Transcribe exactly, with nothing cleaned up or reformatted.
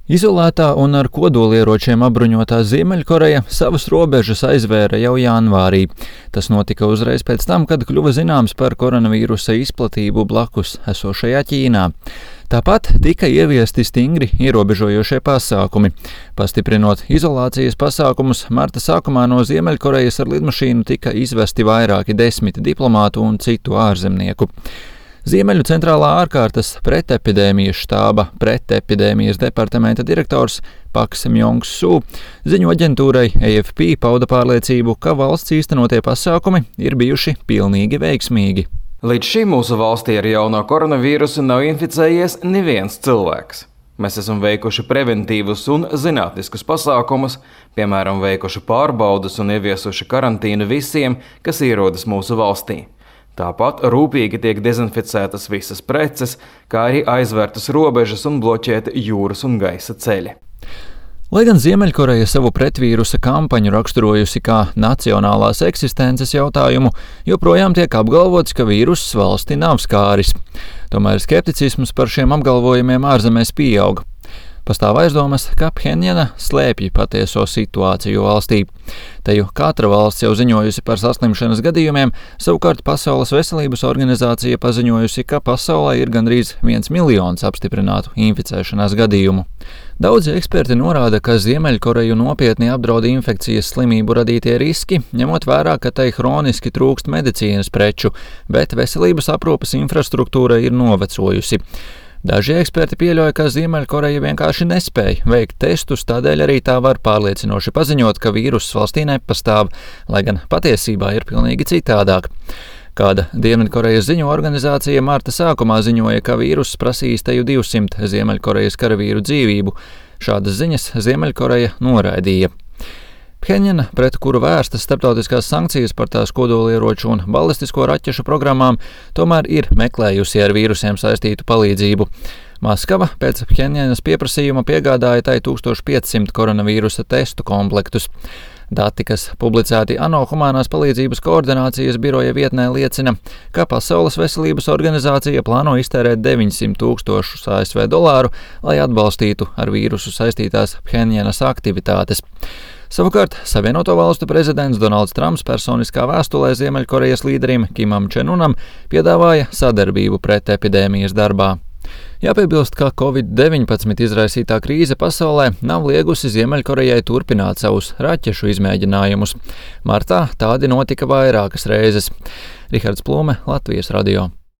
Izolētā un ar kodolieročiem apbruņotā Ziemeļkoreja savas robežas aizvēra jau janvārī. Tas notika uzreiz pēc tam, kad kļuva zināms par koronavīrusa izplatību blakus esošajā Ķīnā. Tāpat tika ieviesti stingri ierobežojošie pasākumi. Pastiprinot izolācijas pasākumus, marta sākumā no Ziemeļkorejas ar lidmašīnu tika izvesti vairāki desmit diplomātu un citu ārzemnieku. Ziemeļu centrālā ārkārtas pretepidēmijas štāba pretepidēmijas departamenta direktors Paks Mjongs Su ziņu aģentūrai A F P pauda pārliecību, ka valsts īstenotie pasākumi ir bijuši pilnīgi veiksmīgi. Līdz šim mūsu valstī ar jauno koronavīrusu nav inficējies neviens cilvēks. Mēs esam veikuši preventīvus un zinātniskus pasākumus, piemēram, veikuši pārbaudas un ieviesuši karantīnu visiem, kas ierodas mūsu valstī. Tāpat rūpīgi tiek dezinficētas visas preces, kā arī aizvērtas robežas un bloķēti jūras un gaisa ceļi. Lai gan Ziemeļkoreja savu pretvīrusa kampaņu raksturojusi kā nacionālās eksistences jautājumu, joprojām tiek apgalvots, ka vīruss valsti nav skāris. Tomēr skepticisms par šiem apgalvojumiem ārzemēs pieauga. Pastāv aizdomas, ka Phenjana slēpj patieso situāciju valstī. Te jau katra valsts jau ziņojusi par saslimšanas gadījumiem, savukārt Pasaules veselības organizācija paziņojusi, ka pasaulē ir gandrīz viens miljons apstiprinātu inficēšanās gadījumu. Daudzi eksperti norāda, ka Ziemeļkoreju nopietni apdraud infekcijas slimību radītie riski, ņemot vērā, ka tai hroniski trūkst medicīnas preču, bet veselības aprūpes infrastruktūra ir novecojusi. Daži eksperti pieļauj, ka Ziemeļkoreja vienkārši nespēja veikt testus, tādēļ arī tā var pārliecinoši paziņot, ka vīruss valstī nepastāv, lai gan patiesībā ir pilnīgi citādāk. Kāda Dienvidkorejas ziņu organizācija marta sākumā ziņoja, ka vīruss prasīs teju divsimt Ziemeļkorejas karavīru dzīvību. Šādas ziņas Ziemeļkoreja noraidīja. Phenjana, pret kuru vērstas starptautiskās sankcijas par tās kodolieroču un balistisko raķešu programmām, tomēr ir meklējusi ar vīrusiem saistītu palīdzību. Maskava pēc Phenjanas pieprasījuma piegādāja tai tūkstoš piecsimt koronavīrusa testu komplektus. Dati, kas publicēti ANO humanās palīdzības koordinācijas biroja vietnē, liecina, ka Pasaules veselības organizācija plāno iztērēt deviņsimt tūkstošus A S V dolāru, lai atbalstītu ar vīrusu saistītās Phenjanas aktivitātes. Savukārt, Savienoto valstu prezidents Donalds Trumps personiskā vēstulē Ziemeļkorejas līderim Kimam Čenunam piedāvāja sadarbību pret epidēmijas darbā. Jāpiebilst, ka covid deviņpadsmit izraisītā krīze pasaulē nav liegusi Ziemeļkorejai turpināt savus raķešu izmēģinājumus. Martā tādi notika vairākas reizes. Rihards Plūme, Latvijas radio.